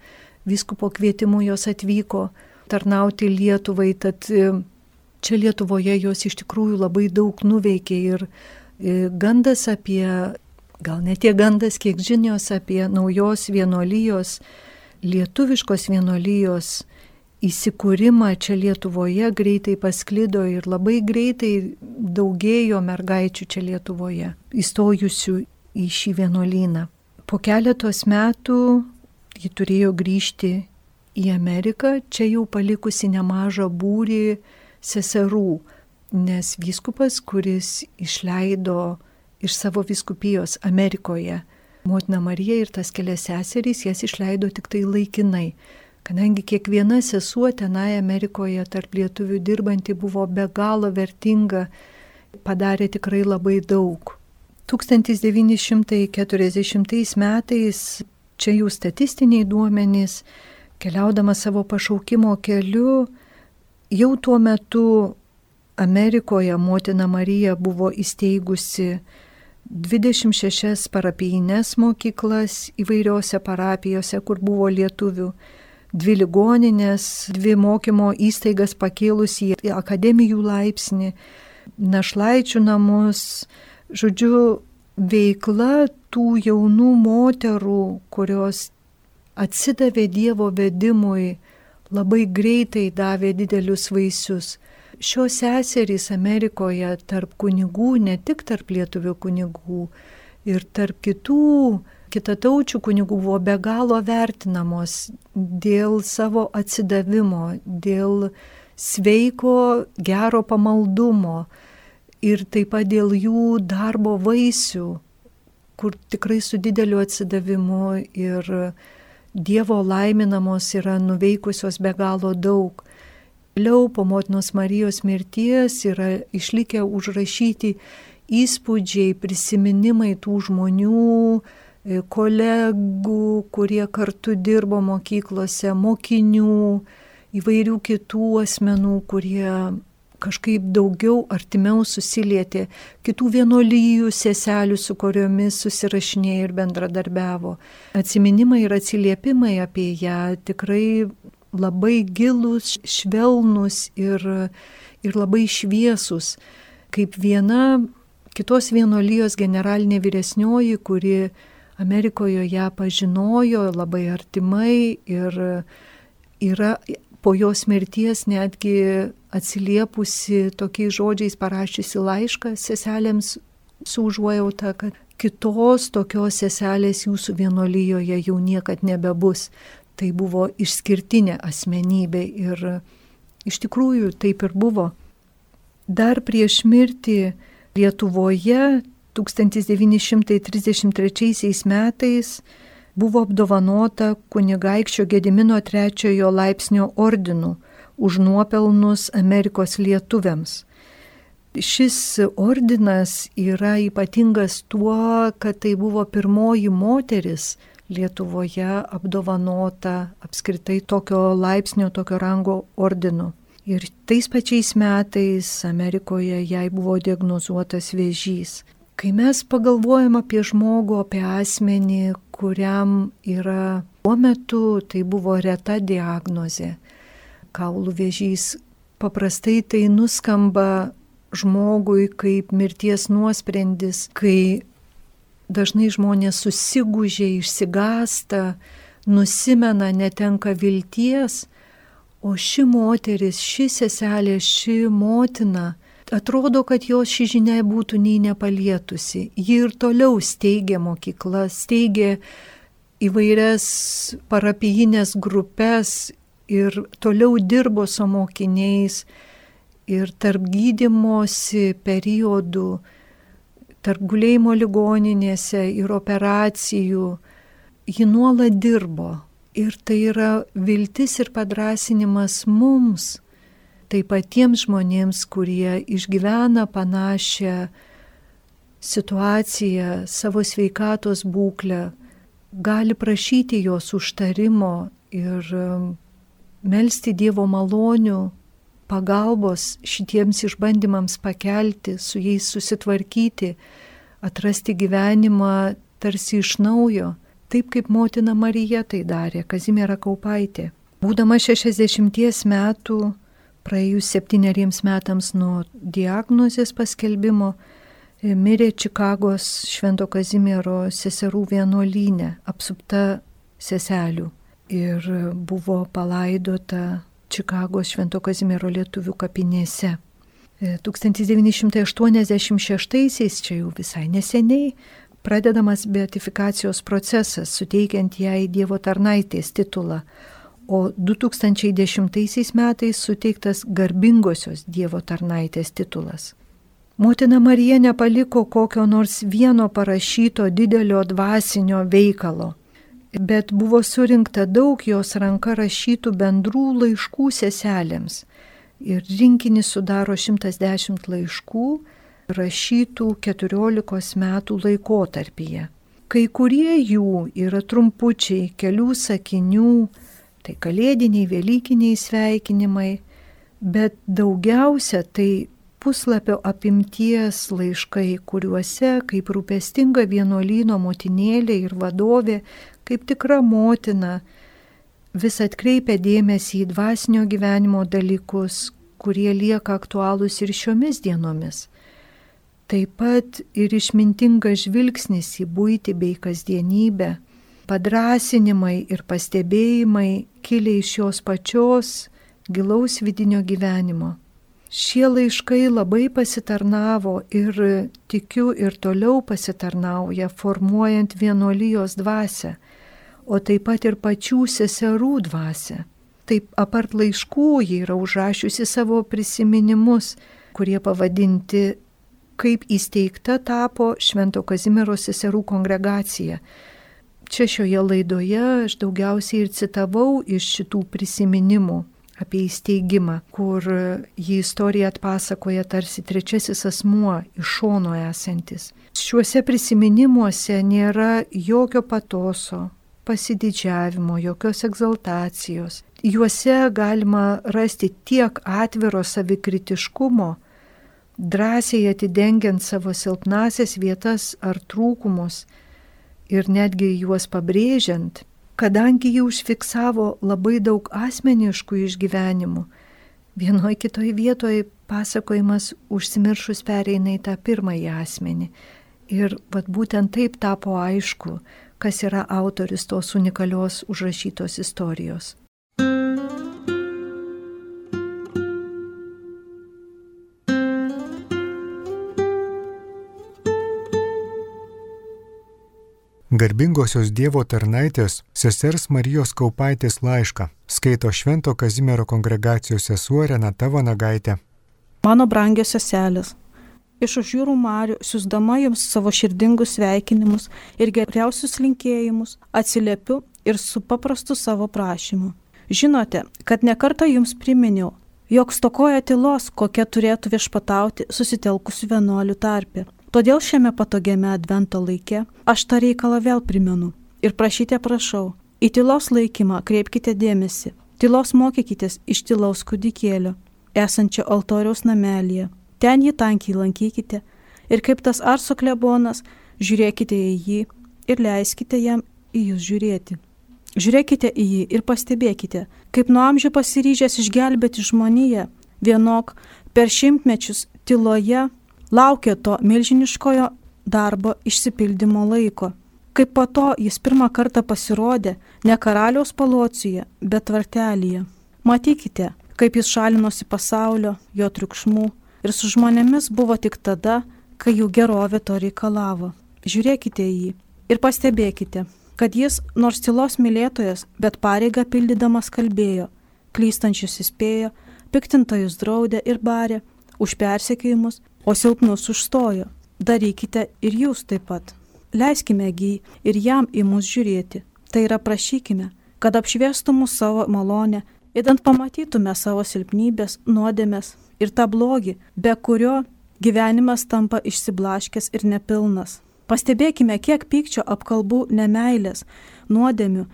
vyskupo kvietimu jos atvyko tarnauti Lietuvai, tad čia Lietuvoje jos iš tikrųjų labai daug nuveikė ir gandas apie, gal ne tiek gandas, kiek žinios apie naujos vienuolijos, lietuviškos vienuolijos įsikūrimą čia Lietuvoje greitai pasklido ir labai greitai daugėjo mergaičių čia Lietuvoje, įstojusių į šį vienuolyną. Po keletos metų ji turėjo grįžti į Ameriką, čia jau palikusi nemažą būrį seserų, nes vyskupas, kuris išleido iš savo vyskupijos Amerikoje motiną Mariją ir tas kelias seserys, jas išleido tik tai laikinai, kadangi kiekviena sesuo tenai Amerikoje tarp lietuvių dirbanti buvo be galo vertinga, padarė tikrai labai daug. 1940 metais, čia jų statistiniai duomenys, keliaudama savo pašaukimo keliu, jau tuo metu Amerikoje motina Marija buvo įsteigusi 26 parapijines mokyklas įvairiose parapijose, kur buvo lietuvių, 2 ligoninės, 2 mokymo įstaigas pakėlusi į akademijų laipsnį, našlaičių namus. Žodžiu, veikla tų jaunų moterų, kurios atsidavė Dievo vedimui, labai greitai davė didelius vaisius. Šios seserys Amerikoje tarp kunigų, ne tik tarp lietuvių kunigų, ir tarp kitataučių kunigų buvo be galo vertinamos dėl savo atsidavimo, dėl sveiko, gero pamaldumo ir taip pat dėl jų darbo vaisių, kur tikrai su dideliu atsidavimu ir Dievo laiminamos yra nuveikusios be galo daug. Vėliau po motinos Marijos mirties yra išlikę užrašyti įspūdžiai, prisiminimai tų žmonių, kolegų, kurie kartu dirbo mokyklose, mokinių, įvairių kitų asmenų, kurie kažkaip daugiau artimiau susilietė, kitų vienuolijų seselių, su kuriomis susirašinėjo ir bendradarbiavo. Atsiminimai ir atsiliepimai apie ją tikrai labai gilus, švelnus ir labai šviesus. Kaip viena kitos vienuolijos generalinė vyresnioji, kuri Amerikoje ją pažinojo labai artimai ir yra po jos mirties netgi atsiliepusi tokiais žodžiais, parašiusi laišką seselėms su užuojauta, kad kitos tokios seselės jūsų vienuolijoje jau niekad nebebus. Tai buvo išskirtinė asmenybė ir iš tikrųjų taip ir buvo. Dar prieš mirtį Lietuvoje 1933 metais buvo apdovanota kunigaikščio Gedimino 3 laipsnio ordinu už nuopelnus Amerikos lietuviams. Šis ordinas yra ypatingas tuo, kad tai buvo pirmoji moteris Lietuvoje apdovanota apskritai tokio laipsnio, tokio rango ordinu. Ir tais pačiais metais Amerikoje jai buvo diagnozuotas vėžys. Kai mes pagalvojam apie žmogų, apie asmenį, kuriam yra tuo metu, tai buvo reta diagnozė. Kaulų vėžys, paprastai tai nuskamba žmogui kaip mirties nuosprendis, kai dažnai žmonės susigūžia, išsigąsta, nusimena, netenka vilties, o ši moteris, ši seselė, ši motina, atrodo, kad jos ši žinia būtų nei nepalietusi. Ji ir toliau steigė mokyklas, steigė įvairias parapijinės grupės ir toliau dirbo su mokiniais ir tarp gydymosi periodų, tarp gulėjimo ligoninėse ir operacijų, ji nuolat dirbo. Ir tai yra viltis ir padrąsinimas mums, taip pat tiems žmonėms, kurie išgyvena panašią situaciją, savo sveikatos būklę, gali prašyti jos užtarimo ir melsti Dievo malonių, pagalbos šitiems išbandymams pakelti, su jais susitvarkyti, atrasti gyvenimą tarsi iš naujo, taip kaip motina Marija tai darė, Kazimiera Kaupaitė. Būdama 60 metų, praėjus 7 metams nuo diagnozės paskelbimo, mirė Čikagos Švento Kazimiero seserų vienuolyne, apsupta seselių, ir buvo palaidota Čikagos Švento Kazimiero lietuvių kapinėse. 1986-aisiais, čia jau visai neseniai, pradedamas beatifikacijos procesas, suteikiant jai Dievo tarnaitės titulą, o 2010 metais suteiktas garbingosios Dievo tarnaitės titulas. Motina Marija nepaliko kokio nors vieno parašyto didelio dvasinio veikalo, bet buvo surinkta daug jos ranka rašytų bendrų laiškų seselėms. Ir rinkinį sudaro 110 laiškų rašytų 14 metų laikotarpyje. Kai kurie jų yra trumpučiai, kelių sakinių, tai kalėdiniai, velykiniai sveikinimai, bet daugiausia tai puslapio apimties laiškai, kuriuose kaip rūpestinga vienuolyno motinėlė ir vadovė, kaip tikra motina, vis atkreipia dėmesį į dvasinio gyvenimo dalykus, kurie lieka aktualūs ir šiomis dienomis. Taip pat ir išmintingas žvilgsnis į buitį bei kasdienybę, padrasinimai ir pastebėjimai kilę iš jos pačios gilaus vidinio gyvenimo. Šie laiškai labai pasitarnavo ir tikiu ir toliau pasitarnauja, formuojant vienuolijos dvasią, o taip pat ir pačių seserų dvasią. Taip apart laiškų ji yra užrašiusi savo prisiminimus, kurie pavadinti kaip įsteigta tapo Švento Kazimiero seserų kongregacija. Čia šioje laidoje aš daugiausiai ir citavau iš šitų prisiminimų apie įsteigimą, kur jį istoriją atpasakoja tarsi trečiasis asmuo iš šono esantis. Šiuose prisiminimuose nėra jokio patoso, pasididžiavimo, jokios egzaltacijos. Juose galima rasti tiek atviro savikritiškumo, drąsiai atidengiant savo silpnasias vietas ar trūkumus ir netgi juos pabrėžiant, kadangi jį užfiksavo labai daug asmeniškų išgyvenimų. Vienoje kitoje vietoje pasakojimas užsimiršus pereina į tą pirmąjį asmenį. Ir būtent taip tapo aišku, kas yra autorius tos unikalios užrašytos istorijos. Garbingosios Dievo tarnaitės sesers Marijos Kaupaitės laišką skaito Švento Kazimiero kongregacijos sesuo Renata Vanagaitė. Mano brangios seselės, iš už jūrų marių siųsdama jums savo širdingus sveikinimus ir geriausius linkėjimus atsiliepiu ir su paprastu savo prašymu. Žinote, kad nekartą jums priminiau, jog stokoja tylos, kokia turėtų viešpatauti susitelkusių vienuolių tarpe. Todėl šiame patogiame advento laike aš tą reikalą vėl primenu ir prašyte prašau, į tylos laikymą kreipkite dėmesį, tylos mokykitės iš tylaus kūdikėlio, esančio altoriaus namelyje, ten jį tankiai lankykite ir kaip tas Arso klebonas, žiūrėkite į jį ir leiskite jam į jūs žiūrėti. Žiūrėkite į jį ir pastebėkite, kaip nuo amžių pasiryžęs išgelbėti žmoniją, vienok per šimtmečius tyloje laukia to milžiniškojo darbo išsipildymo laiko. Kaip po to jis pirmą kartą pasirodė ne karaliaus palociuje, bet tvartelyje. Matykite, kaip jis šalinosi pasaulio, jo triukšmų ir su žmonėmis buvo tik tada, kai jų gerovė to reikalavo. Žiūrėkite į jį ir pastebėkite, kad jis, nors tylos mylėtojas, bet pareigą pildydamas kalbėjo, klystančius įspėjo, piktintojus draudė ir barė, už persekiojimus, o silpnus užstojo. Darykite ir jūs taip pat. Leiskime jį ir jam į mus žiūrėti. Tai yra prašykime, kad apšviestų mus savo malonę Įdant pamatytume savo silpnybės, nuodėmės ir tą blogį, be kurio gyvenimas tampa išsiblaškęs ir nepilnas. Pastebėkime, kiek pykčio, apkalbų, nemeilės, nuodėmių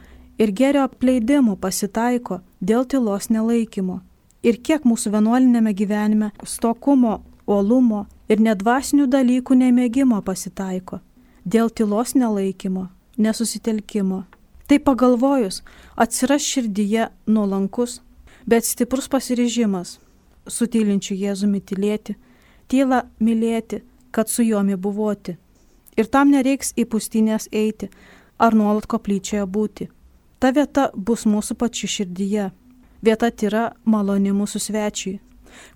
ir gėrio apleidimų pasitaiko dėl tylos nelaikymo. Ir kiek mūsų vienuolinėme gyvenime stokumo, uolumo ir nedvasinių dalykų nemėgimo pasitaiko dėl tylos nelaikymo, nesusitelkimo. Tai pagalvojus, atsiras širdyje nuolankus, bet stiprus pasiryžimas su tylinčiu Jėzumi tylėti, tylą mylėti, kad su juomi buvoti. Ir tam nereiks į pustynės eiti ar nuolat koplyčioje būti. Ta vieta bus mūsų pačių širdyje. Vieta tyra maloni mūsų svečiui,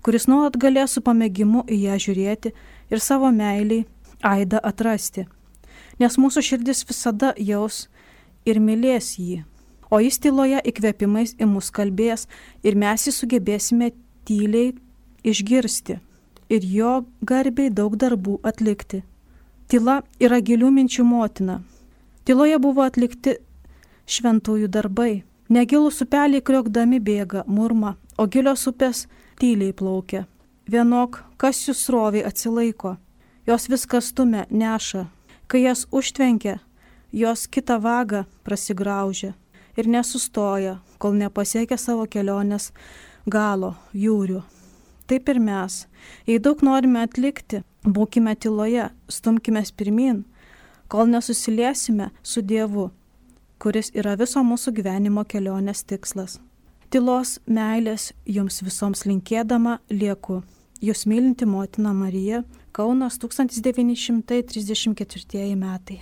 kuris nuolat galės su pamėgimu į ją žiūrėti ir savo meiliai aidą atrasti. Nes mūsų širdis visada jaus ir mylės jį, o jis tyloje įkvėpimais į mus kalbės ir mes jį sugebėsime tyliai išgirsti ir jo garbiai daug darbų atlikti. Tyla yra gilių minčių motina. Tyloje buvo atlikti šventųjų darbai. Negilūs upeliai kriokdami bėga, murma, o gilios upės tyliai plaukia. Vienok, kas jų sroviai atsilaiko. Jos viskas stumia, neša. Kai jas užtvenkia, jos kitą vagą prasigraužia ir nesustoja, kol nepasiekia savo kelionės galo, jūrių. Taip ir mes, jei daug norime atlikti, būkime tyloje, stumkime pirmyn, kol nesusiliesime su Dievu, kuris yra viso mūsų gyvenimo kelionės tikslas. Tylos meilės jums visoms linkėdama lieku. Jūs mylinti motina Marija, Kaunas 1934 metai.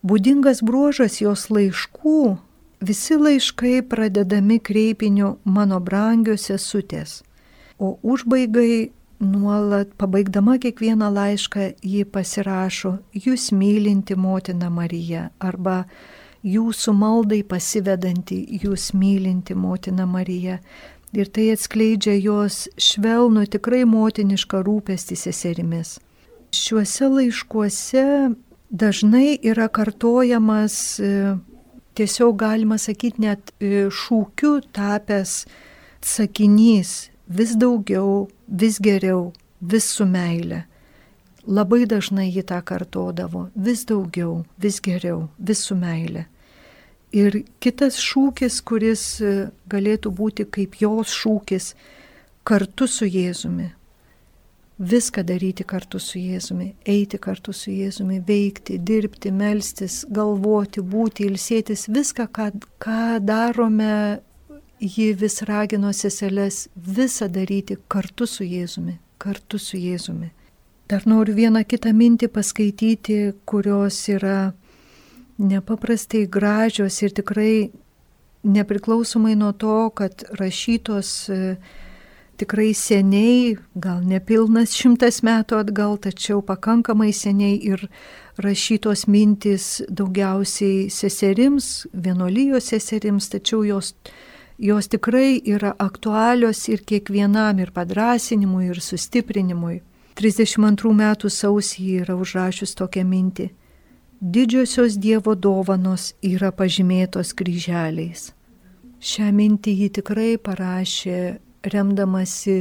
Būdingas bruožas jos laiškų, visi laiškai pradedami kreipiniu mano brangios sesutės, o užbaigai nuolat, pabaigdama kiekvieną laišką, ji pasirašo jūs mylinti motina Marija arba jūsų maldai pasivedanti jūs mylinti motina Marija. Ir tai atskleidžia jos švelnų, tikrai motinišką rūpestį seserimis. Šiuose laiškuose dažnai yra kartojamas, tiesiog galima sakyti net šūkiu tapęs sakinys vis daugiau, vis geriau, vis su meile. Labai dažnai ji tą kartodavo, vis daugiau, vis geriau, vis su meile. Ir kitas šūkis, kuris galėtų būti kaip jos šūkis, kartu su Jėzumi. Viską daryti kartu su Jėzumi, eiti kartu su Jėzumi, veikti, dirbti, melstis, galvoti, būti, ilsėtis, viską, ką darome, ji vis ragino seseles, visą daryti kartu su Jėzumi, kartu su Jėzumi. Dar noriu vieną kitą mintį paskaityti, kurios yra nepaprastai gražios ir tikrai nepriklausomai nuo to, kad rašytos tikrai seniai, gal nepilnas 100 metų atgal, tačiau pakankamai seniai ir rašytos mintys daugiausiai seserims, vienuolijos seserims, tačiau jos tikrai yra aktualios ir kiekvienam, ir padrasinimui, ir sustiprinimui. 32 metų sausį yra užrašius tokią mintį. Didžiosios Dievo dovanos yra pažymėtos kryželiais. Šią mintį ji tikrai parašė remdamasi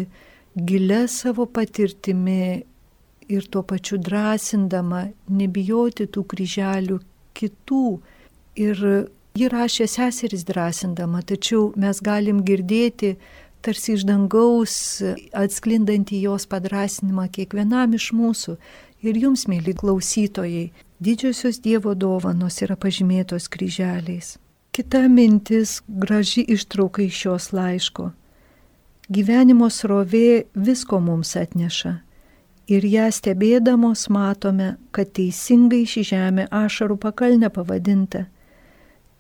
gilia savo patirtimi ir tuo pačiu drąsindama nebijoti tų kryželių kitų. Ir ji rašė seseris drąsindama, tačiau mes galim girdėti tarsi iš dangaus atsklindantį jos padrasinimą kiekvienam iš mūsų. Ir jums, mėly klausytojai, didžiosios Dievo dovanos yra pažymėtos kryželiais. Kita mintis, graži ištrauka iš šios laiško. Gyvenimo srovė visko mums atneša. Ir ją stebėdamos matome, kad teisingai ši žemė ašarų pakalnė pavadinta.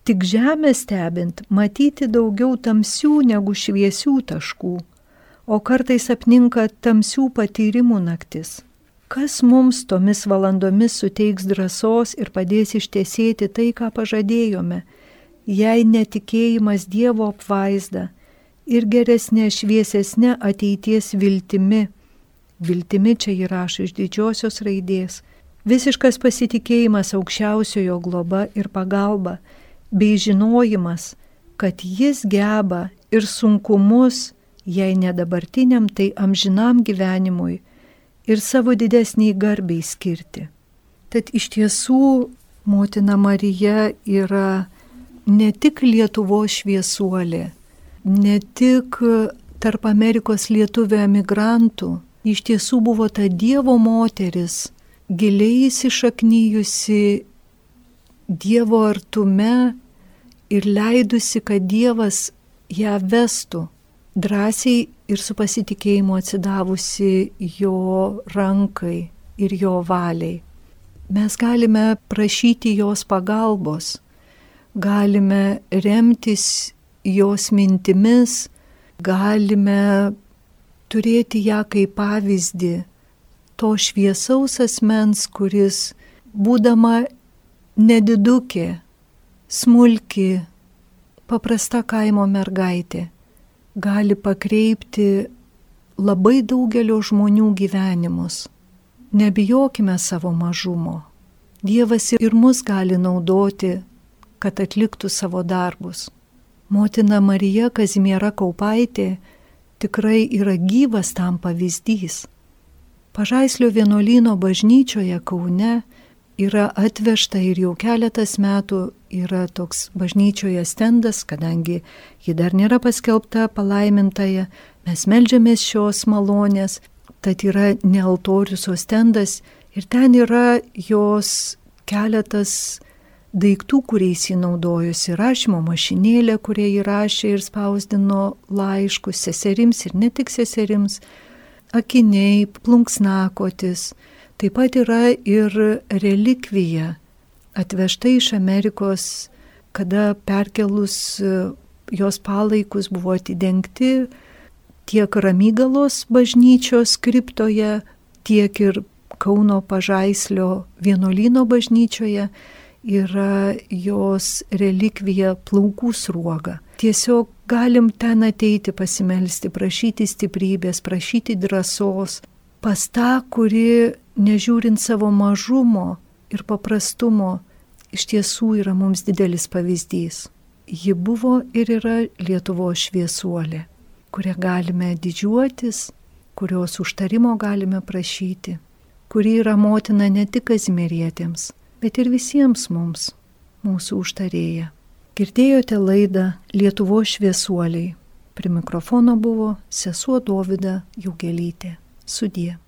Tik žemę stebint matyti daugiau tamsių negu šviesių taškų, o kartais apninka tamsių patyrimų naktis. Kas mums tomis valandomis suteiks drąsos ir padės ištiesėti tai, ką pažadėjome, jei netikėjimas Dievo apvaizda ir geresnė šviesesnė ateities viltimi. Viltimi čia įrašo iš didžiosios raidės. Visiškas pasitikėjimas aukščiausiojo globa ir pagalba, bei žinojimas, kad jis geba ir sunkumus, jei ne dabartiniam, tai amžinam gyvenimui ir savo didesniai garbiai skirti. Tad iš tiesų motina Marija yra ne tik Lietuvos šviesuolė, ne tik tarp Amerikos lietuvių emigrantų, iš tiesų buvo ta Dievo moteris, giliai įsišaknyjusi Dievo artume ir leidusi, kad Dievas ją vestų, drąsiai ir su pasitikėjimu atsidavusi jo rankai ir jo valiai. Mes galime prašyti jos pagalbos, galime remtis jos mintimis, galime turėti ją kaip pavyzdį to šviesaus asmens, kuris, būdama nedidukė, smulki, paprasta kaimo mergaitė, gali pakreipti labai daugelio žmonių gyvenimus. Nebijokime savo mažumo. Dievas ir mus gali naudoti, kad atliktų savo darbus. Motina Marija Kazimiera Kaupaitė tikrai yra gyvas tam pavyzdys. Pažaislio vienuolyno bažnyčioje Kaune yra atvežta ir jau keletas metų yra toks bažnyčioje stendas, kadangi ji dar nėra paskelbta palaimintąją, mes meldžiamės šios malonės, tad yra ne altorius, o stendas ir ten yra jos keletas daiktų, kuriais jį naudojosi, rašymo mašinėlė, kurie įrašė ir spausdino laiškus seserims ir ne tik seserims, akiniai, plunksnakotis. Taip pat yra ir relikvija atvežta iš Amerikos, kada perkelus jos palaikus buvo atidengti tiek Ramygalos bažnyčios kriptoje, tiek ir Kauno Pažaislio vienuolyno bažnyčioje yra jos relikvija plaukų sruoga. Tiesiog galim ten ateiti pasimelsti, prašyti stiprybės, prašyti drąsos pas tą, kuri, nežiūrint savo mažumo ir paprastumo, iš tiesų yra mums didelis pavyzdys. Ji buvo ir yra Lietuvos šviesuolė, kurią galime didžiuotis, kurios užtarimo galime prašyti, kuri yra motina ne tik kazimierietėms, bet ir visiems mums, mūsų užtarėja. Girdėjote laidą Lietuvos šviesuoliai. Prie mikrofono buvo sesuo Dovida Jaugelytė. Sudie.